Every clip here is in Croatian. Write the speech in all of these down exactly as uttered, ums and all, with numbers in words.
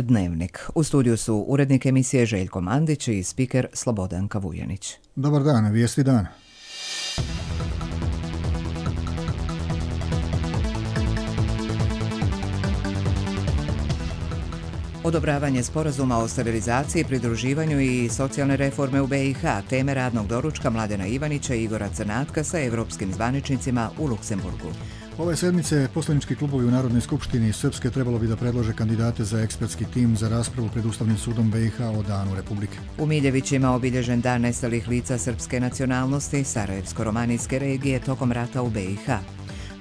Dnevnik. U studiju su urednik emisije Željko Mandić i spiker Slobodanka Vujanić. Dobar dan, vijesti dana. Odobravanje sporazuma o stabilizaciji, pridruživanju i socijalne reforme u B i H, teme radnog doručka Mladena Ivanića i Igora Crnatka sa evropskim zvaničnicima u Luksemburgu. Ove sedmice poslanički klubovi u Narodnoj skupštini Srpske trebalo bi da predlože kandidate za ekspertski tim za raspravu pred Ustavnim sudom B i H o Danu Republike. U Miljevićima obilježen dan nestalih lica srpske nacionalnosti Sarajevsko-romanijske regije tokom rata u B i H.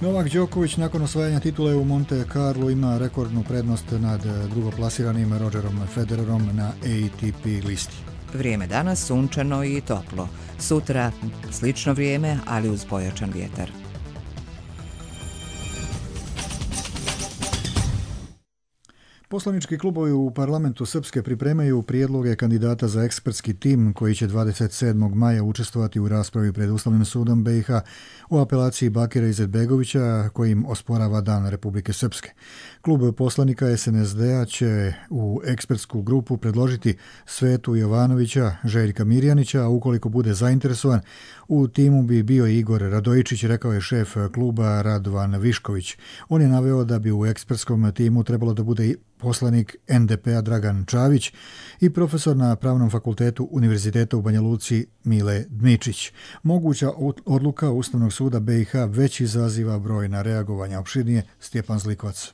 Novak Đoković nakon osvajanja titule u Monte Carlo ima rekordnu prednost nad drugoplasiranim Rogerom Federerom na A T P listi. Vrijeme danas sunčano i toplo. Sutra slično vrijeme, ali uz pojačan vjetar. Poslanički klubovi u parlamentu Srpske pripremaju prijedloge kandidata za ekspertski tim koji će dvadeset sedmog maja učestvovati u raspravi pred Ustavnim sudom B i H u apelaciji Bakira Izetbegovića kojim osporava Dan Republike Srpske. Klub poslanika S N S D-a će u ekspertsku grupu predložiti Svetu Jovanovića, Željka Mirjanića, a ukoliko bude zainteresovan, u timu bi bio Igor Radojičić, rekao je šef kluba Radovan Višković. On je naveo da bi u ekspertskom timu trebalo da bude poslanik N D P-a Dragan Čavić i profesor na Pravnom fakultetu Univerziteta u Banja Luci Mile Dmičić. Moguća odluka Ustavnog suda B i H već izaziva brojna reagovanja. Opširnije Stjepan Zlikovac.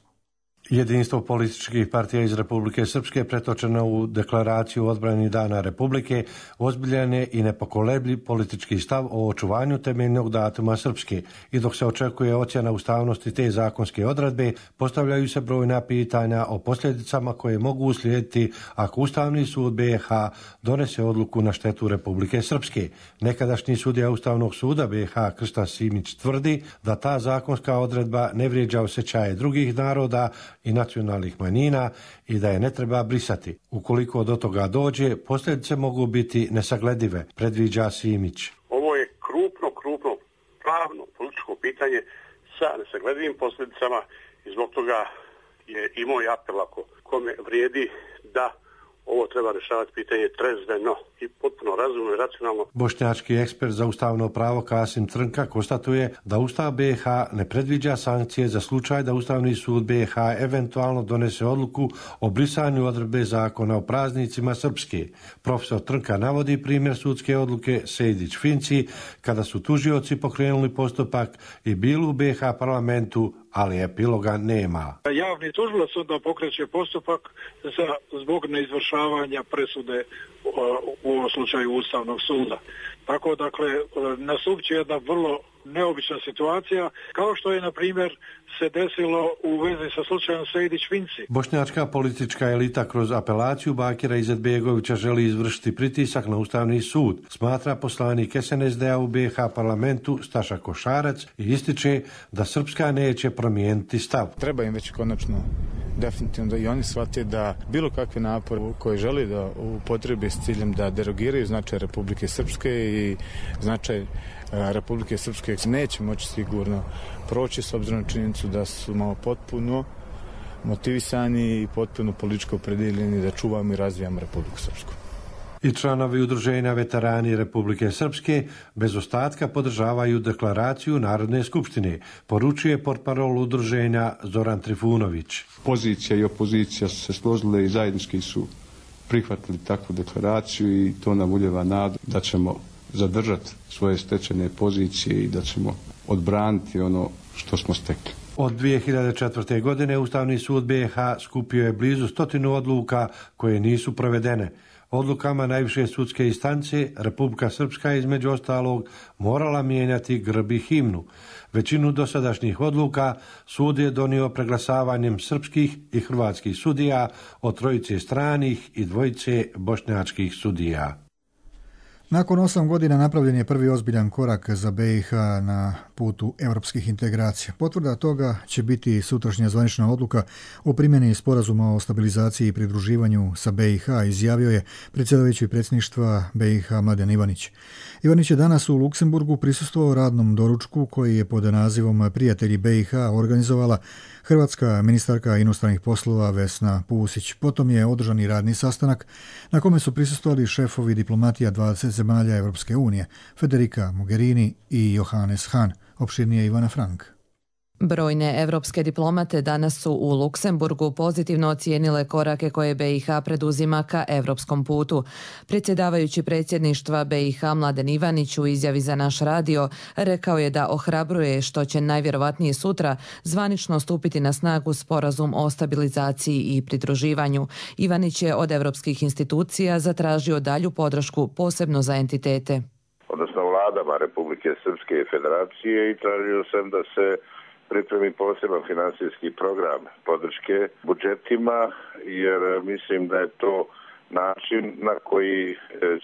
Jedinstvo političkih partija iz Republike Srpske pretočeno u deklaraciju o odbrani Dana Republike ozbiljan je i nepokolebljiv politički stav o očuvanju temeljnog datuma Srpske i dok se očekuje ocjena ustavnosti te zakonske odredbe, postavljaju se brojna pitanja o posljedicama koje mogu uslijediti ako Ustavni sud B i H donese odluku na štetu Republike Srpske. Nekadašnji sudija Ustavnog suda B i H Krsta Simić tvrdi da ta zakonska odredba ne vrijeđa osjećaje drugih naroda i nacionalnih manjina i da je ne treba brisati. Ukoliko do toga dođe, posljedice mogu biti nesagledive, predviđa Simić. Ovo je krupno, krupno pravno političko pitanje sa nesagledivim posljedicama i zbog toga je i moj apel ako kome vrijedi da ovo treba rješavati pitanje trezveno i potpuno razumno i racionalno. Bošnjački ekspert za ustavno pravo Kasim Trnka konstatuje da Ustav B i H ne predviđa sankcije za slučaj da Ustavni sud B i H eventualno donese odluku o brisanju odredbe zakona o praznicima Srpske. Profesor Trnka navodi primjer sudske odluke Sejdić-Finci kada su tužioci pokrenuli postupak i bili u B i H parlamentu, ali epiloga nema. Javni tužilac onda pokreće postupak za, zbog neizvršavanja presude u ovom slučaju Ustavnog suda. Tako, dakle, nastupće jedna vrlo neobična situacija, kao što je, na primjer, se desilo u vezi sa slučajem Sejdić-Finci. Bošnjačka politička elita kroz apelaciju Bakira Izetbegovića želi izvršiti pritisak na Ustavni sud, smatra poslanik S N S D-a u B i H parlamentu Staša Košarac i ističe da Srpska neće promijeniti stav. Treba im već konačno definitivno da i oni shvate da bilo kakve napore koje želi da upotrebi s ciljem da derogiraju značaj Republike Srpske i značaj Republike Srpske neće moći sigurno proći s obzirom na činjenicu da su malo potpuno motivisani i potpuno političko opredeljeni da čuvamo i razvijamo Republiku Srpsku. I članovi udruženja Veterani Republike Srpske bez ostatka podržavaju deklaraciju Narodne skupštine, poručuje portparol udruženja Zoran Trifunović. Pozicija i opozicija su se složile i zajednički su prihvatili takvu deklaraciju i to nam ulijeva nadu da ćemo zadržati svoje stečene pozicije i da ćemo odbraniti ono što smo stekli. Od dvije hiljade četvrte. godine Ustavni sud B i H skupio je blizu stotinu odluka koje nisu provedene. Odlukama najviše sudske instance Republika Srpska je između ostalog morala mijenjati grb i himnu. Većinu dosadašnjih odluka sud je donio preglasavanjem srpskih i hrvatskih sudija od trojice stranih i dvojice bošnjačkih sudija. Nakon osam godina napravljen je prvi ozbiljan korak za B i H na putu europskih integracija. Potvrda toga će biti sutrašnja zvanična odluka o primjeni sporazuma o stabilizaciji i pridruživanju sa B i H, izjavio je predsjedavajući predsjedništva B i H Mladen Ivanić. Ivanić je danas u Luksemburgu prisustvovao radnom doručku koji je pod nazivom Prijatelji B i H organizovala hrvatska ministarka inostranih poslova Vesna Pusić. Potom je održan i radni sastanak na kome su prisustvovali šefovi diplomatija dvadeset zemalja Europske unije, Federica Mogherini i Johannes Hahn. Opširnije Ivana Frank. Brojne evropske diplomate danas su u Luksemburgu pozitivno ocijenile korake koje B i H preduzima ka evropskom putu. Predsjedavajući predsjedništva B i H Mladen Ivanić u izjavi za naš radio rekao je da ohrabruje što će najvjerovatnije sutra zvanično stupiti na snagu sporazum o stabilizaciji i pridruživanju. Ivanić je od evropskih institucija zatražio dalju podršku posebno za entitete. Odnosno vladama Republike Srpske i Federacije i tražio sam da se pripremi poseban finansijski program podrške budžetima, jer mislim da je to način na koji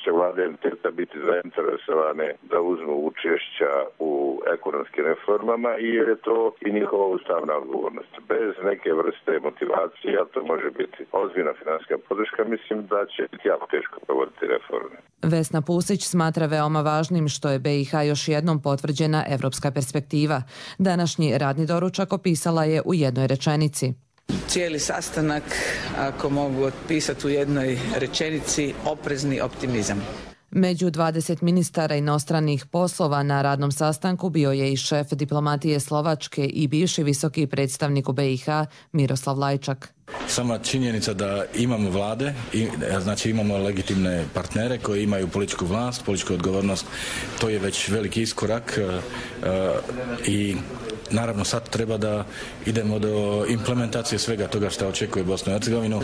će vlade entiteta biti zainteresovane da uzmu učešća u ekonomskim reformama i jer je to i njihova ustavna odgovornost. Bez neke vrste motivacije, a to može biti ozbiljna finansijska podrška, mislim da će biti jako teško provoditi reforme. Vesna Pusić smatra veoma važnim što je B i H još jednom potvrđena evropska perspektiva. Današnji radni doručak opisala je u jednoj rečenici. Cijeli sastanak, ako mogu otpisati u jednoj rečenici, oprezni optimizam. Među dvadeset ministara inostranih poslova na radnom sastanku bio je i šef diplomatije Slovačke i bivši visoki predstavnik u B i H Miroslav Lajčak. Sama činjenica da imamo vlade, znači imamo legitimne partnere koji imaju političku vlast, političku odgovornost, to je već veliki iskorak i naravno sad treba da idemo do implementacije svega toga što očekuje Bosnu i Hercegovinu.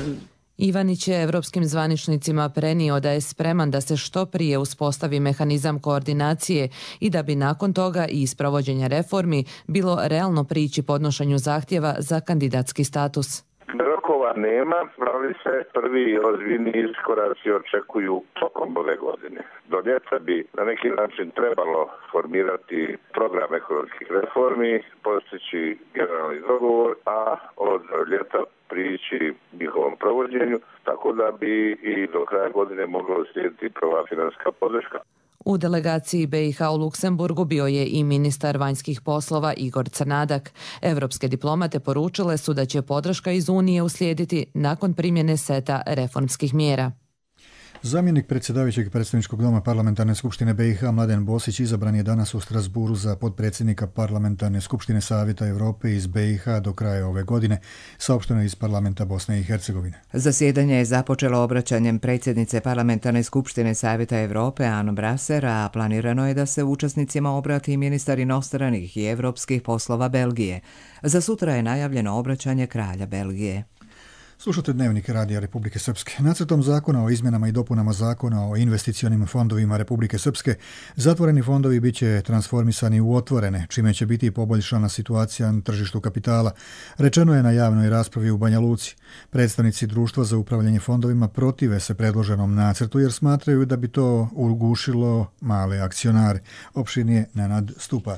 Ivanić je evropskim zvaničnicima prenio da je spreman da se što prije uspostavi mehanizam koordinacije i da bi nakon toga i iz provođenja reformi bilo realno prići podnošenju zahtjeva za kandidatski status. Rokova nema, ali se prvi ozbiljni iskoraci očekuju tokom ove godine. Do ljeta bi na neki način trebalo formirati program ekonomskih reformi, postići generalni dogovor, a od ljeta prići njihovom provođenju, tako da bi i do kraja godine moglo slijediti prva financijska podrška. U delegaciji B i H u Luksemburgu bio je i ministar vanjskih poslova Igor Crnadak. Evropske diplomate poručile su da će podrška iz Unije uslijediti nakon primjene seta reformskih mjera. Zamjenik predsjedavajućeg predstavničkog doma Parlamentarne skupštine B i H Mladen Bosić izabran je danas u Strasburu za potpredsjednika Parlamentarne skupštine Savjeta Europe iz B i H do kraja ove godine, saopšteno iz Parlamenta Bosne i Hercegovine. Zasjedanje je započelo obraćanjem predsjednice Parlamentarne skupštine Savjeta Europe Anne Brasser, a planirano je da se učesnicima obrati ministar inostranih i evropskih poslova Belgije. Za sutra je najavljeno obraćanje kralja Belgije. Slušate Dnevnik Radija Republike Srpske. Nacrtom zakona o izmjenama i dopunama zakona o investicionim fondovima Republike Srpske zatvoreni fondovi bit će transformisani u otvorene, čime će biti poboljšana situacija na tržištu kapitala. Rečeno je na javnoj raspravi u Banja Luci. Predstavnici Društva za upravljanje fondovima protive se predloženom nacrtu jer smatraju da bi to ugušilo male akcionare. Opširnije Nenad Stupar.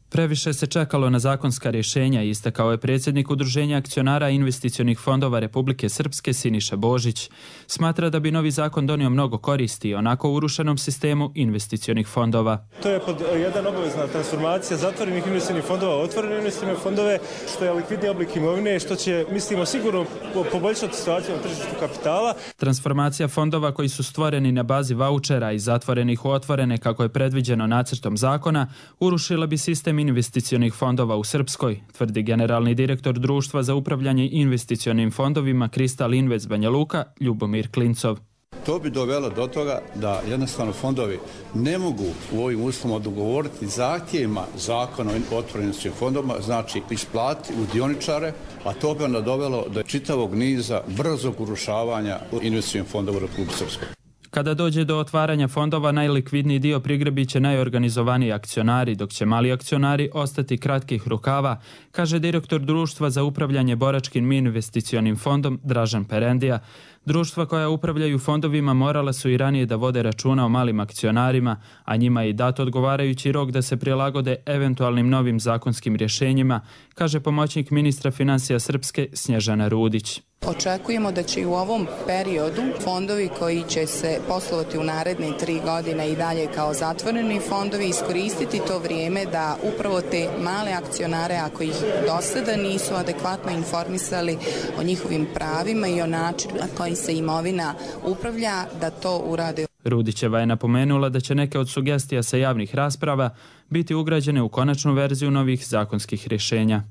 Previše se čekalo na zakonska rješenja, istakao je predsjednik Udruženja akcionara investicionih fondova Republike Srpske Siniša Božić. Smatra da bi novi zakon donio mnogo koristi onako urušenom sistemu investicionih fondova. To je pod jedan obavezna transformacija zatvorenih investicionih fondova u otvorene investicione fondove, što je likvidni oblik imovine, što će, mislimo, sigurno poboljšati situaciju na tržištu kapitala. Transformacija fondova koji su stvoreni na bazi vaučera i zatvorenih u otvorene, kako je predviđeno nacrtom zakona, urušila bi sistem investicionih fondova u Srpskoj, tvrdi generalni direktor Društva za upravljanje investicionim fondovima Kristal Invest Banja Luka, Ljubomir Klincov. To bi dovelo do toga da jednostavno fondovi ne mogu u ovim uslovima odgovoriti zahtjevima zakona o otvorenim investicionim fondovima, znači isplatiti u dioničare, a to bi onda dovelo do čitavog niza brzog urušavanja investicionih fondova u Republici Srpskoj. Kada dođe do otvaranja fondova, najlikvidniji dio prigrebit će najorganizovaniji akcionari, dok će mali akcionari ostati kratkih rukava, kaže direktor Društva za upravljanje boračkim investicionim fondom Dražen Perendija. Društva koja upravljaju fondovima morala su i ranije da vode računa o malim akcionarima, a njima je i dat odgovarajući rok da se prilagode eventualnim novim zakonskim rješenjima, kaže pomoćnik ministra financija Srpske Snježana Rudić. Očekujemo da će i u ovom periodu fondovi koji će se poslovati u naredne tri godine i dalje kao zatvoreni fondovi iskoristiti to vrijeme da upravo te male akcionare, ako ih do sada nisu adekvatno informisali o njihovim pravima i o načinu na koji se imovina upravlja, da to urade. Rudićeva je napomenula da će neke od sugestija sa javnih rasprava biti ugrađene u konačnu verziju novih zakonskih rješenja.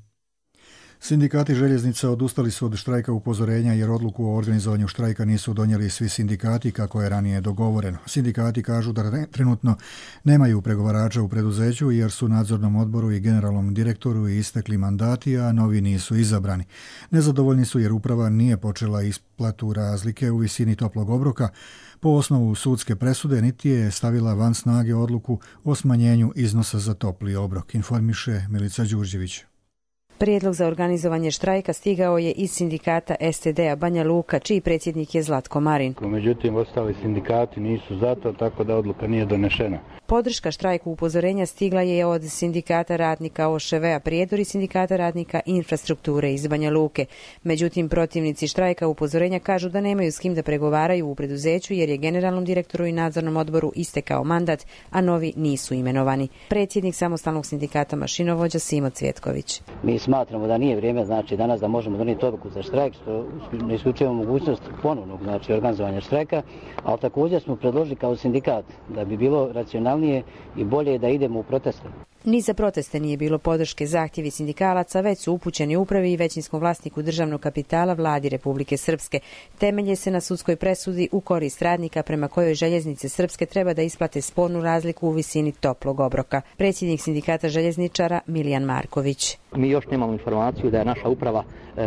Sindikati željeznica odustali su od štrajka upozorenja jer odluku o organizovanju štrajka nisu donijeli svi sindikati kako je ranije dogovoreno. Sindikati kažu da trenutno nemaju pregovarača u preduzeću jer su nadzornom odboru i generalnom direktoru istekli mandati, a novi nisu izabrani. Nezadovoljni su jer uprava nije počela isplatu razlike u visini toplog obroka po osnovu sudske presude, niti je stavila van snage odluku o smanjenju iznosa za topli obrok, informiše Milica Đurđević. Prijedlog za organizovanje štrajka stigao je iz sindikata S T D-a Banja Luka, čiji predsjednik je Zlatko Marin. Međutim, ostali sindikati nisu za to, tako da odluka nije donešena. Podrška štrajku upozorenja stigla je od sindikata radnika O Š V-a Prijedor i sindikata radnika infrastrukture iz Banja Luke. Međutim, protivnici štrajka upozorenja kažu da nemaju s kim da pregovaraju u preduzeću jer je generalnom direktoru i nadzornom odboru istekao mandat, a novi nisu imenovani. Predsjednik samostalnog sindikata mašinovođa Simo Cvjetković. Mi smatramo da nije vrijeme, znači danas da možemo donijeti odluku za štrajk, što ne isključujemo mogućnost ponovnog, znači organizovanja štrajka, ali također smo predložili kao sindikat da bi bilo racionalnije i bolje da idemo u proteste. Ni za proteste nije bilo podrške. Zahtjevi sindikalaca već su upućeni upravi i većinskom vlasniku državnog kapitala vladi Republike Srpske. Temelje se na sudskoj presudi u korist radnika prema kojoj željeznice Srpske treba da isplate spornu razliku u visini toplog obroka. Predsjednik sindikata željezničara Milijan Marković. Mi još nemamo informaciju da je naša uprava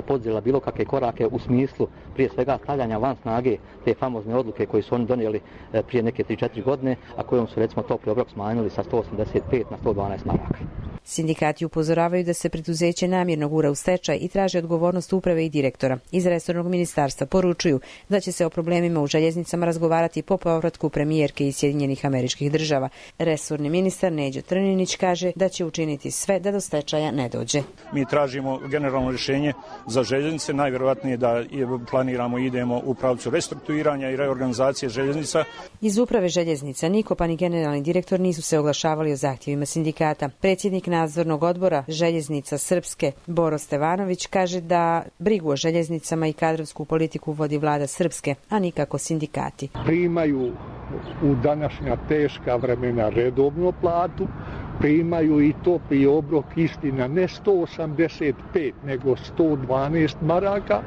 poduzela bilo kakve korake u smislu prije svega stavljanja van snage te famozne odluke koje su oni donijeli prije neke tri četiri godine, a kojom su recimo topli obrok smanjili sa sto osamdeset pet na sto dvanaest maraka. Sindikati upozoravaju da se preduzeće namjerno gura u stečaj i traže odgovornost uprave i direktora. Iz resornog ministarstva poručuju da će se o problemima u željeznicama razgovarati po povratku premijerke iz Sjedinjenih Američkih Država. Resorni ministar Neđo Trninić kaže da će učiniti sve da do stečaja ne dođe. Mi tražimo generalno rješenje za željeznice, najvjerojatnije da planiramo i idemo u pravcu restrukturiranja i reorganizacije željeznica. Iz uprave željeznica niko pa ni generalni direktor nisu se oglašavali o zahtjevima sindikata. Predsjednik nadzornog odbora željeznica Srpske Boro Stevanović kaže da brigu o željeznicama i kadrovsku politiku vodi vlada Srpske, a nikako sindikati. Primaju u današnja teška vremena redovnu platu, primaju i topli obrok, istina ne sto osamdeset pet nego sto dvanaest maraka.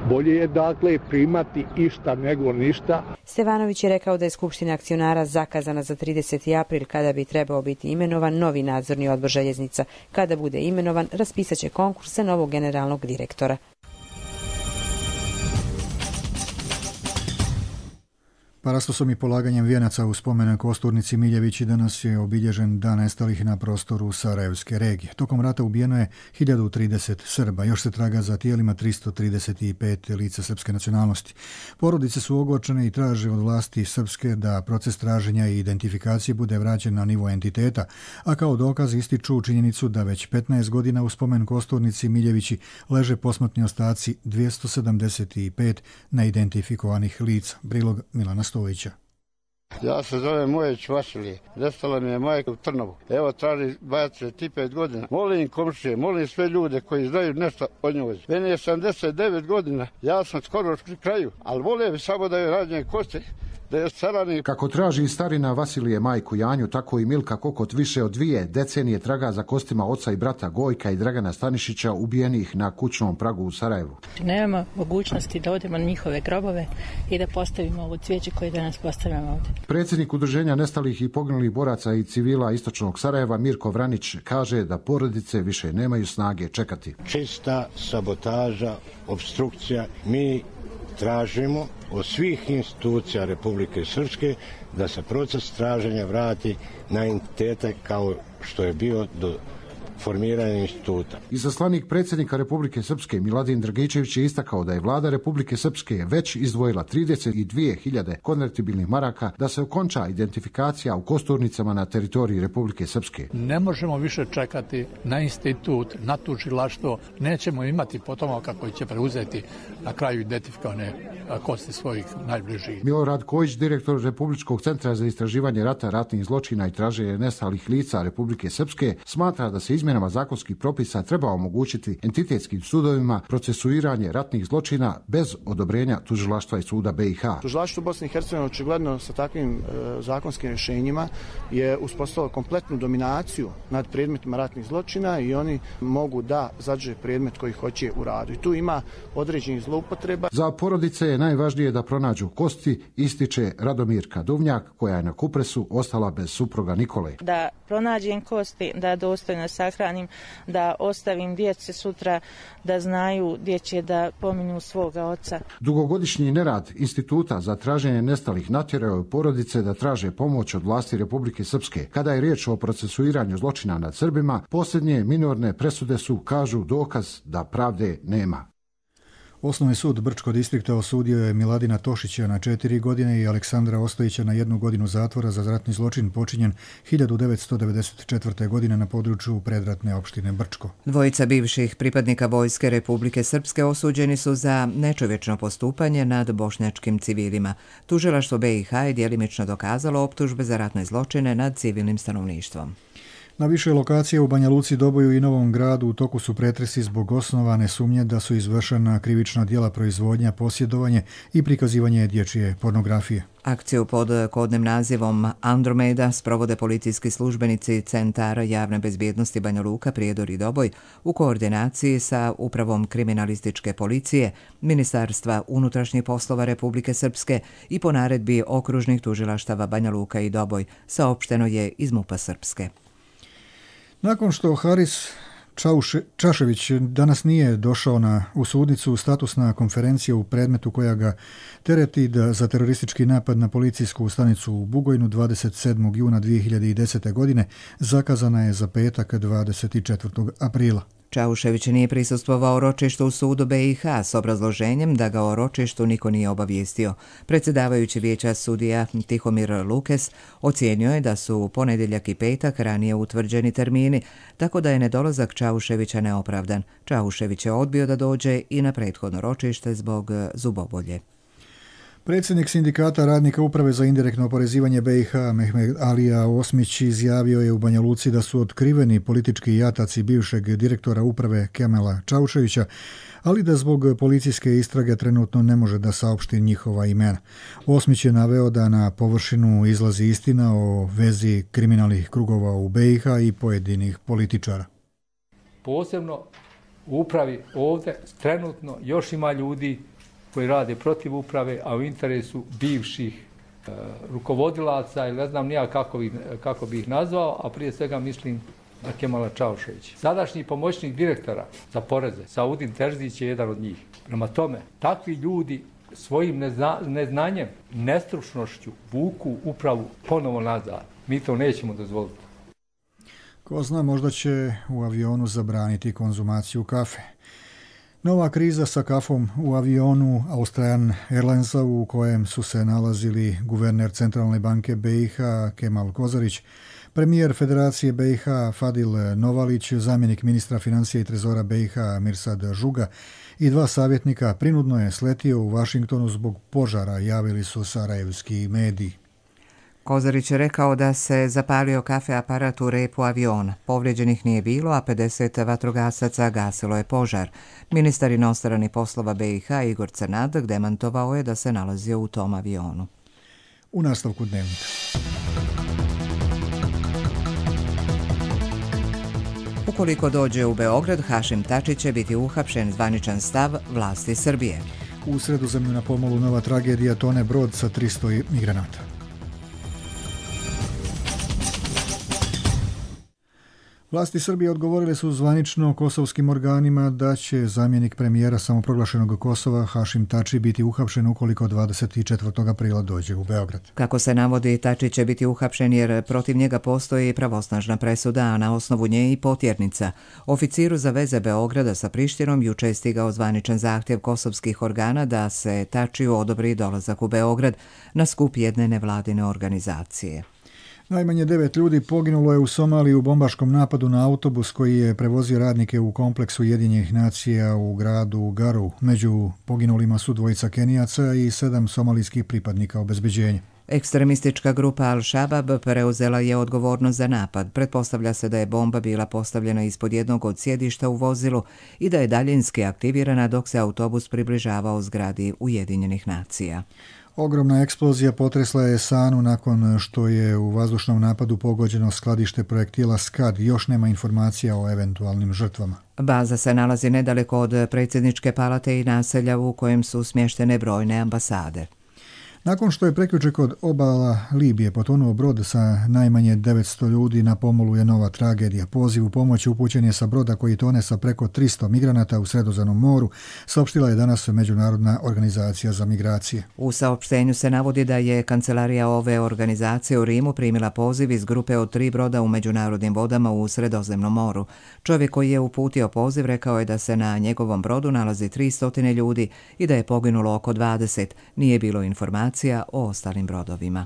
Bolje je dakle primati išta nego ništa. Stevanović je rekao da je Skupština akcionara zakazana za trideseti april kada bi trebao biti imenovan novi nadzorni odbor željeznica. Kada bude imenovan, raspisat će konkurs za novog generalnog direktora. Parastosom i polaganjem vijenaca u spomen Kosturnici Miljevići danas je obilježen dan nestalih na prostoru Sarajevske regije. Tokom rata ubijeno je hiljadu trideset Srba, još se traga za tijelima tristo trideset pet lica srpske nacionalnosti. Porodice su ogorčene i traže od vlasti srpske da proces traženja i identifikacije bude vraćen na nivo entiteta, a kao dokaz ističu činjenicu da već petnaest godina u spomen Kosturnici Miljevići leže posmrtni ostaci dvjesto sedamdeset pet neidentifikovanih lica. Prilog Milana Stojića. Ja se zovem Mojeć Vasilije. Nestala mi je majka u Trnovu. Evo traži dvadeset pet godina. Molim komšije, molim sve ljude koji znaju nešto o njoj. Meni je sedamdeset devet godina. Ja sam skoro pri kraju, ali volim samo da je rađene koste. Kako traži starina Vasilije majku Janju, tako i Milka Kokot više od dvije decenije traga za kostima oca i brata Gojka i Dragana Stanišića ubijenih na kućnom pragu u Sarajevu. Nemamo mogućnosti da odemo na njihove grobove i da postavimo ovo cvijeće koje danas postavljamo ovdje. Predsjednik Udruženja nestalih i poginulih boraca i civila istočnog Sarajeva Mirko Vranić kaže da porodice više nemaju snage čekati. Čista sabotaža, obstrukcija, mi tražimo od svih institucija Republike Srpske da se proces traženja vrati na entitete kao što je bio do formiranja instituta. Izaslanik predsjednika Republike Srpske Miladin Dragičević je istakao da je vlada Republike Srpske već izdvojila trideset dvije hiljade konvertibilnih maraka da se okonča identifikacija u kosturnicama na teritoriji Republike Srpske. Ne možemo više čekati na institut, na tužilaštvo, nećemo imati potomaka koji će preuzeti na kraju identifikovane kosti svojih najbližih. Milorad Kojić, direktor Republičkog centra za istraživanje rata, ratnih zločina i traženje nestalih lica Republike Srpske, smatra da se izmjenama zakonskih propisa treba omogućiti entitetskim sudovima procesuiranje ratnih zločina bez odobrenja tužilaštva i suda B i H. Tužilaštvo Bosne i Hercegovine očigledno sa takvim e, zakonskim rješenjima je uspostavilo kompletnu dominaciju nad predmetima ratnih zločina i oni mogu da zadrže predmet koji hoće u radu. I tu ima određenih zloupotreba. Za porodice je najvažnije da pronađu kosti, ističe Radomirka Duvnjak, koja je na Kupresu ostala bez supruga Nikole. Da pronađem kosti, da dostojno sahranim, da ostavim djeci sutra da znaju gdje će da pominu svoga oca. Dugogodišnji nerad Instituta za traženje nestalih natjerao je porodice da traže pomoć od vlasti Republike Srpske. Kada je riječ o procesuiranju zločina nad Srbima, posljednje minorne presude su, kažu, dokaz da pravde nema. Osnovni sud Brčkog distrikta osudio je Miladina Tošića na četiri godine i Aleksandra Ostojića na jednu godinu zatvora za ratni zločin počinjen hiljadu devetsto devedeset četvrte. godine na području predratne opštine Brčko. Dvojica bivših pripadnika Vojske Republike Srpske osuđeni su za nečovječno postupanje nad bošnjačkim civilima. Tužilaštvo B i H je djelimično dokazalo optužbe za ratne zločine nad civilnim stanovništvom. Na više lokacija u Banja Luci, Doboju i Novom Gradu u toku su pretresi zbog osnovane sumnje da su izvršena krivična djela proizvodnja, posjedovanje i prikazivanje dječje pornografije. Akciju pod kodnim nazivom Andromeda sprovode policijski službenici Centara javne bezbjednosti Banja Luka, Prijedor i Doboj u koordinaciji sa Upravom kriminalističke policije, Ministarstva unutrašnjih poslova Republike Srpske i po naredbi okružnih tužilaštava Banja Luka i Doboj, saopšteno je iz MUP-a Srpske. Nakon što Haris Čauše, Čašević danas nije došao na, u sudnicu, statusna konferencija u predmetu koja ga tereti da za teroristički napad na policijsku stanicu u Bugojnu dvadeset sedmog juna dvije hiljade desete. godine zakazana je za petak dvadeset četvrtog aprila. Čaušević nije prisustvovao ročištu u sudu B i H s obrazloženjem da ga o ročištu niko nije obavijestio. Predsjedavajući vijeća sudija Tihomir Lukes ocijenio je da su ponedjeljak i petak ranije utvrđeni termini, tako da je nedolazak Čauševića neopravdan. Čaušević je odbio da dođe i na prethodno ročište zbog zubobolje. Predsjednik sindikata radnika Uprave za indirektno oporezivanje B i H Mehmed Alija Osmić izjavio je u Banja Luci da su otkriveni politički jataci bivšeg direktora uprave Kemela Čauševića, ali da zbog policijske istrage trenutno ne može da saopšti njihova imena. Osmić je naveo da na površinu izlazi istina o vezi kriminalnih krugova u B i H i pojedinih političara. Posebno u upravi ovdje trenutno još ima ljudi koji rade protiv uprave, a u interesu bivših e, rukovodilaca ili ne znam nija kako, bi, kako bi ih nazvao, a prije svega mislim na Kemala Čauševića. Sadašnji pomoćnik direktora za poreze, Saudin Terzić, je jedan od njih. Prema tome, takvi ljudi svojim nezna, neznanjem, nestručnošću vuku upravu ponovo nazad. Mi to nećemo dozvoliti. Ko zna, možda će u avionu zabraniti konzumaciju kafe. Nova kriza sa kafom u avionu Australian Airlinesa u kojem su se nalazili guverner Centralne banke B i H Kemal Kozarić, premijer Federacije B i H Fadil Novalić, zamjenik ministra financija i trezora B i H Mirsad Žuga i dva savjetnika prinudno je sletio u Vašingtonu zbog požara, javili su sarajevski mediji. Kozarić je rekao da se zapalio kafe aparat u repu aviona. Povrijeđenih nije bilo, a pedeset vatrogasaca gasilo je požar. Ministar inostranih poslova B i H Igor Crnadak demantovao je da se nalazio u tom avionu. U nastavku dnevnika. Ukoliko dođe u Beograd, Hašim Tači će biti uhapšen, zvaničan stav vlasti Srbije. U Sredozemlju na pomolu nova tragedija, tone brod sa tristo migranata. Vlasti Srbije odgovorili su zvanično kosovskim organima da će zamjenik premijera samoproglašenog Kosova Hašim Tači biti uhapšen ukoliko dvadeset četvrtog aprila dođe u Beograd. Kako se navodi, Tači će biti uhapšen jer protiv njega postoji pravosnažna presuda, a na osnovu nje i potjernica. Oficiru za veze Beograda sa Prištinom juče je stigao zvaničan zahtjev kosovskih organa da se Tačiju odobri dolazak u Beograd na skup jedne nevladine organizacije. Najmanje devet ljudi poginulo je u Somaliji u bombaškom napadu na autobus koji je prevozio radnike u kompleksu Ujedinjenih nacija u gradu Garu. Među poginulima su dvojica Kenijaca i sedam somalijskih pripadnika obezbeđenja. Ekstremistička grupa Al-Shabaab preuzela je odgovornost za napad. Pretpostavlja se da je bomba bila postavljena ispod jednog od sjedišta u vozilu i da je daljinski aktivirana dok se autobus približavao zgradi Ujedinjenih nacija. Ogromna eksplozija potresla je Sanu nakon što je u vazdušnom napadu pogođeno skladište projektila Skad. Još nema informacija o eventualnim žrtvama. Baza se nalazi nedaleko od predsjedničke palate i naselja u kojem su smještene brojne ambasade. Nakon što je prekjuče kod obala Libije potonuo brod sa najmanje devetsto ljudi, na pomolu je nova tragedija. Poziv u pomoć upućen je sa broda koji tone sa preko tristo migranata u Sredozemnom moru, saopštila je danas Međunarodna organizacija za migracije. U saopštenju se navodi da je kancelarija ove organizacije u Rimu primila poziv iz grupe od tri broda u međunarodnim vodama u Sredozemnom moru. Čovjek koji je uputio poziv rekao je da se na njegovom brodu nalazi tristo ljudi i da je poginulo oko dvadeset. Nije bilo informacija o ostalim brodovima.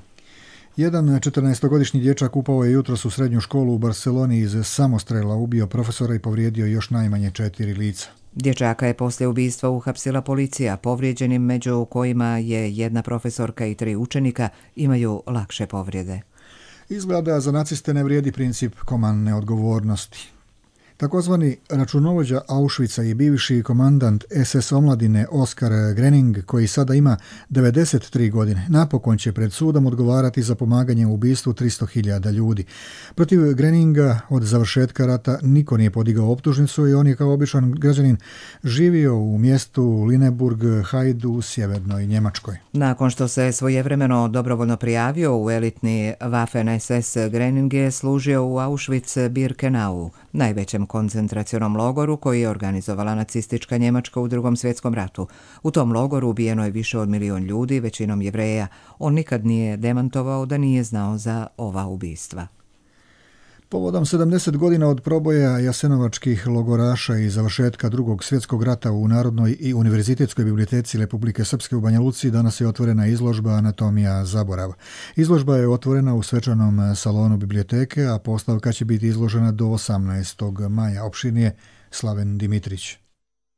Jedan četrnaestogodišnji dječak upao je jutros u srednju školu u Barceloni iz samostrela, ubio profesora i povrijedio još najmanje četiri lica. Dječaka je poslije ubistva uhapsila policija. Povrijeđenim, među kojima je jedna profesorka i tri učenika, imaju lakše povrijede. Izgleda za naciste ne vrijedi princip komandne odgovornosti. Takozvani računovođa Auschwitza i bivši komandant es es omladine Oskar Grening, koji sada ima devedeset tri godine, napokon će pred sudom odgovarati za pomaganje u ubistvu tristo hiljada ljudi. Protiv Greninga od završetka rata niko nije podigao optužnicu i on je kao običan građanin živio u mjestu Lineburg Hajdu u sjevernoj Njemačkoj. Nakon što se svojevremeno dobrovoljno prijavio u elitni Waffen es es, Grening je služio u Auschwitz-Birkenau, najvećem koncentracionom logoru koji je organizovala nacistička Njemačka u Drugom svjetskom ratu. U tom logoru ubijeno je više od milion ljudi, većinom Jevreja. On nikad nije demantovao da nije znao za ova ubistva. Povodom sedamdeset godina od proboja jasenovačkih logoraša i završetka Drugog svjetskog rata u Narodnoj i univerzitetskoj biblioteci Republike Srpske u Banja Luci danas je otvorena izložba Anatomija zaborava. Izložba je otvorena u svečanom salonu biblioteke, a postavka će biti izložena do osamnaestog maja. Opširnije Slaven Dimitrić.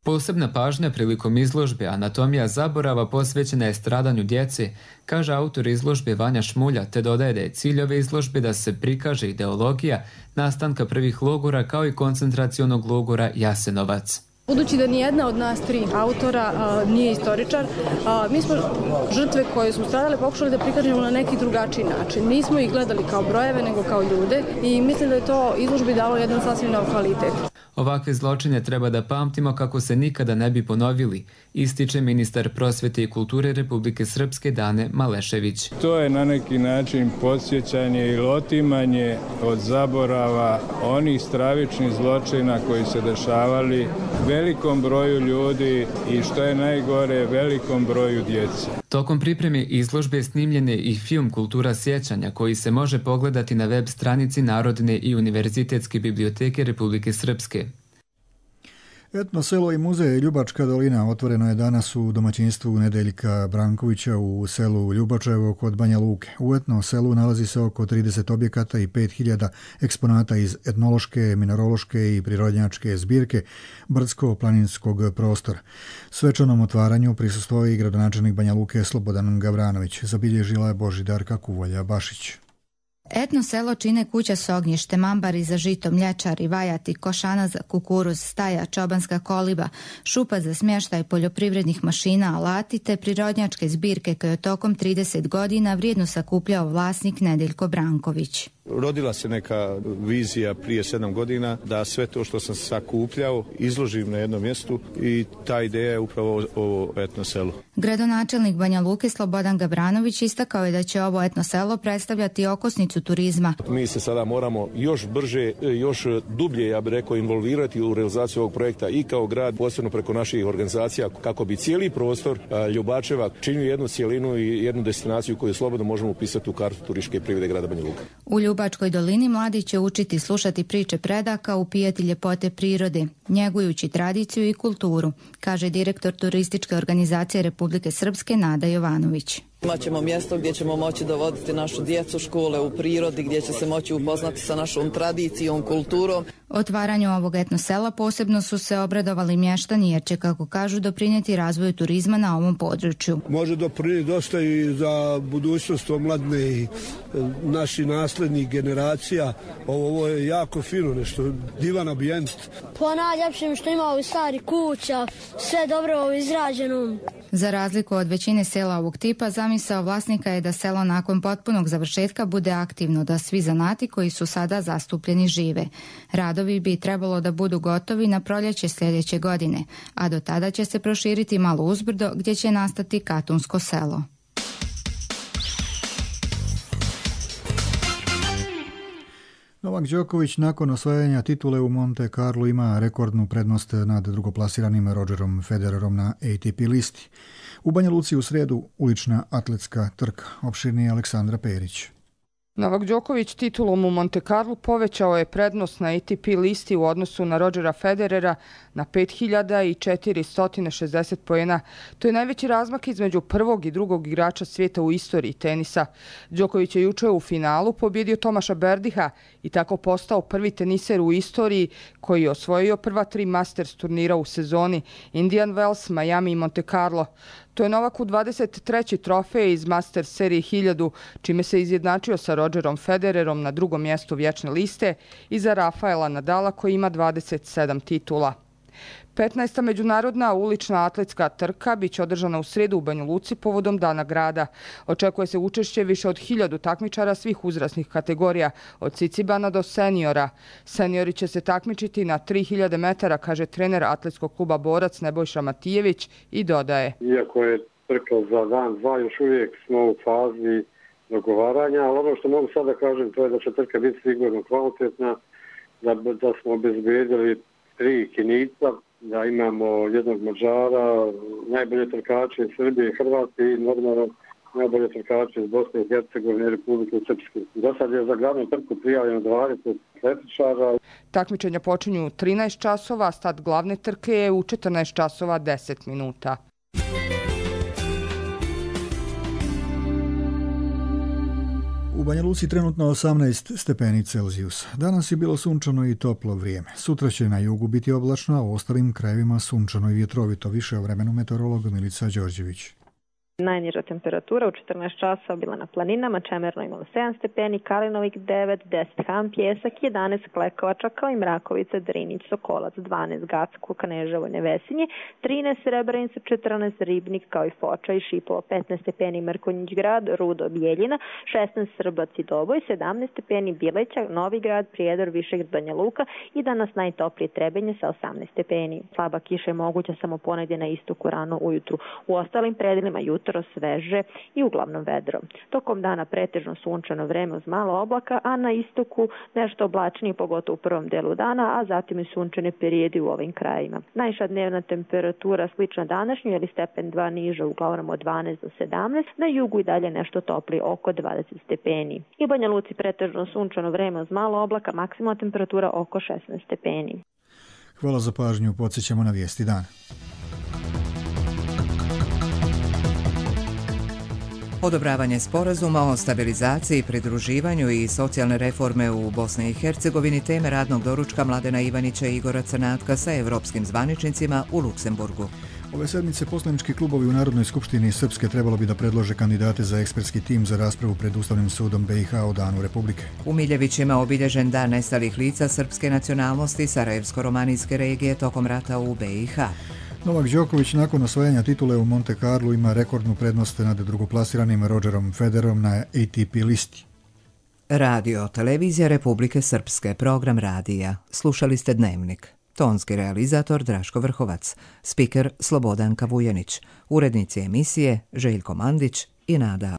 Posebna pažnja prilikom izložbe Anatomija zaborava posvećena je stradanju djece, kaže autor izložbe Vanja Šmulja, te dodaje da je cilj ove izložbe da se prikaže ideologija nastanka prvih logora kao i koncentracionog logora Jasenovac. Budući da nijedna od nas tri autora a, nije istoričar, a, mi smo žrtve koje su stradale pokušali da prikažemo na neki drugačiji način. Nismo ih gledali kao brojeve, nego kao ljude i mislim da je to izložbi dalo jedan sasvim nov kvalitet. Ovakve zločine treba da pamtimo kako se nikada ne bi ponovili, ističe ministar prosvete i kulture Republike Srpske Dane Malešević. To je na neki način podsjećanje ili otimanje od zaborava onih stravičnih zločina koji se dešavali velikom broju ljudi i što je najgore, velikom broju djece. Tokom pripreme izložbe snimljen je i film Kultura sjećanja koji se može pogledati na web stranici Narodne i univerzitetske biblioteke Republike Srpske. Etno selo i muzej Ljubačka dolina otvoreno je danas u domaćinstvu Nedeljka Brankovića u selu Ljubačevo kod Banja Luke. U etno selu nalazi se oko trideset objekata i pet hiljada eksponata iz etnološke, minerološke i prirodnjačke zbirke brdsko-planinskog prostora. Svečanom otvaranju prisustvovao i gradonačelnik Banja Luke Slobodan Gavranović. Zabilježila je Božidarka Kuvolja-Bašić. Etno selo čine kuća s ognjište, mambari za žito, mlječari, vajati, košana za kukuruz, staja, čobanska koliba, šupa za smještaj poljoprivrednih mašina, alati te prirodnjačke zbirke koje je tokom trideset godina vrijedno sakupljao vlasnik Nedeljko Branković. Rodila se neka vizija prije sedam godina da sve to što sam sakupljao izložim na jednom mjestu i ta ideja je upravo ovo etno selo. Gradonačelnik Banja Luke Slobodan Gabranović istakao je da će ovo etno selo predstavljati okosnicu turizma. Mi se sada moramo još brže, još dublje, ja bih rekao, involvirati u realizaciju ovog projekta i kao grad, posebno preko naših organizacija, kako bi cijeli prostor Ljubačeva činio jednu cijelinu i jednu destinaciju koju slobodno možemo upisati u kartu turističke privrede grada Banja Luke. U Ljubačkoj dolini mladi će učiti slušati priče predaka, upijati ljepote prirode, njegujući tradiciju i kulturu, kaže direktor turističke organizacije Republike Srpske Nada Jovanović. Imaćemo mjesto gdje ćemo moći dovoditi našu djecu, škole u prirodi, gdje će se moći upoznati sa našom tradicijom, kulturom. Otvaranju ovog etno sela posebno su se obradovali mještani jer će, kako kažu, doprinijeti razvoju turizma na ovom području. Može doprinijeti dosta i za budućnost omladne i naših naslednih generacija. Ovo, ovo je jako fino, nešto divan ambijent. Po najljepšem što ima u stari kuća, sve dobro izrađeno. Za razliku od većine sela ovog tipa, zamisao vlasnika je da selo nakon potpunog završetka bude aktivno, da svi zanati koji su sada zastupljeni žive. Radovi bi trebalo da budu gotovi na proljeće sljedeće godine, a do tada će se proširiti malo uzbrdo gdje će nastati katunsko selo. Novak Đoković nakon osvajanja titule u Monte Carlo ima rekordnu prednost nad drugoplasiranim Rogerom Federerom na A T P listi. U Banja Luci u sredu ulična atletska trka. Opširnije Aleksandra Perić. Novak Đoković titulom u Monte Carlo povećao je prednost na A T P listi u odnosu na Rogera Federera na pet hiljada četiristo šezdeset poena. To je najveći razmak između prvog i drugog igrača svijeta u istoriji tenisa. Đoković je juče u finalu pobjedio Tomaša Berdiha i tako postao prvi teniser u istoriji koji je osvojio prva tri Masters turnira u sezoni: Indian Wells, Miami i Monte Carlo. To je Novaku dvadeset treći trofej iz Masters serije hiljadu, čime se izjednačio sa Rogerom Federerom na drugom mjestu vječne liste i za Rafaela Nadala koji ima dvadeset sedam titula. petnaesta međunarodna ulična atletska trka biće održana u srijedu u Banja Luci povodom Dana grada. Očekuje se učešće više od hiljadu takmičara svih uzrasnih kategorija, od cicibana do seniora. Seniori će se takmičiti na tri hiljade metara, kaže trener atletskog kluba Borac Nebojša Matijević i dodaje. Iako je trka za dan dva, još uvijek smo u fazi dogovaranja, ali ono što mogu sada kažem to je da će trka biti sigurno kvalitetna, da, da smo obezbedili tri Kinica, da imamo jednog Mađara, najbolje trkače iz Srbije i Hrvatske i normalno najbolje trkače iz Bosne i Hercegovine i Republike Srpske. Do sad je za glavnu trku prijavljeno dvadeset atletičara. Takmičenja počinju u trinaest časova, start glavne trke je u četrnaest časova deset minuta. U Banja Luci trenutno osamnaest stepeni Celzijusa. Danas je bilo sunčano i toplo vrijeme. Sutra će na jugu biti oblačno, a u ostalim krajevima sunčano i vjetrovito. Više o vremenu meteorolog Milica Đorđević. Najniža temperatura u četrnaest časova bila na planinama, Čemerno imalo sedam stepeni, Kalinovik devet, deset Han, Pjesak, jedanaest Klekovača, kao i Mrakovica, Drinić, Sokolac, dvanaest Gacko, Kaneževo, Nevesinje, trinaest Srebrenica, četrnaest Ribnik, kao i Foča i Šipovo, petnaest stepeni Mrkonjić grad, Rudo, Bijeljina, šesnaest Srbac i Doboj, sedamnaest stepeni Bileća, Novi grad, Prijedor, Višegrad, Banja Luka i danas najtoplije Trebinje sa osamnaest stepeni. Slaba kiša je moguća samo ponegdje na istoku rano ujutru. U ostalim predelima jutro sveže i uglavnom vedro. Tokom dana pretežno sunčano vreme uz malo oblaka, a na istoku nešto oblačnije, pogotovo u prvom delu dana, a zatim i sunčane perijedi u ovim krajima. Najviša dnevna temperatura slična današnju, ili stepen dva niža, uglavnom od dvanaest do sedamnaest, na jugu i dalje nešto topli, oko dvadeset stepeni. I u Banja Luci pretežno sunčano vreme uz malo oblaka, maksimalna temperatura oko šesnaest stepeni. Hvala za pažnju, podsjećamo na vijesti dana. Odobravanje sporazuma o stabilizaciji, pridruživanju i socijalne reforme u Bosni i Hercegovini teme radnog doručka Mladena Ivanića i Igora Crnatka sa evropskim zvaničnicima u Luksemburgu. Ove sedmice poslanički klubovi u Narodnoj skupštini Srpske trebalo bi da predlože kandidate za ekspertski tim za raspravu pred Ustavnim sudom B i H o Danu Republike. U Miljevićima obilježen dan nestalih lica srpske nacionalnosti Sarajevsko-romanijske regije tokom rata u B i H. Novak Đoković nakon osvajanja titule u Monte Carlo ima rekordnu prednost nad drugoplasiranim Rogerom Federerom na A T P listi. Radio, televizija Republike Srpske, program radija. Slušali ste Dnevnik. Tonski realizator Draško Vrhovac, spiker Slobodanka Vujanić, urednici emisije Željko Mandić i Nada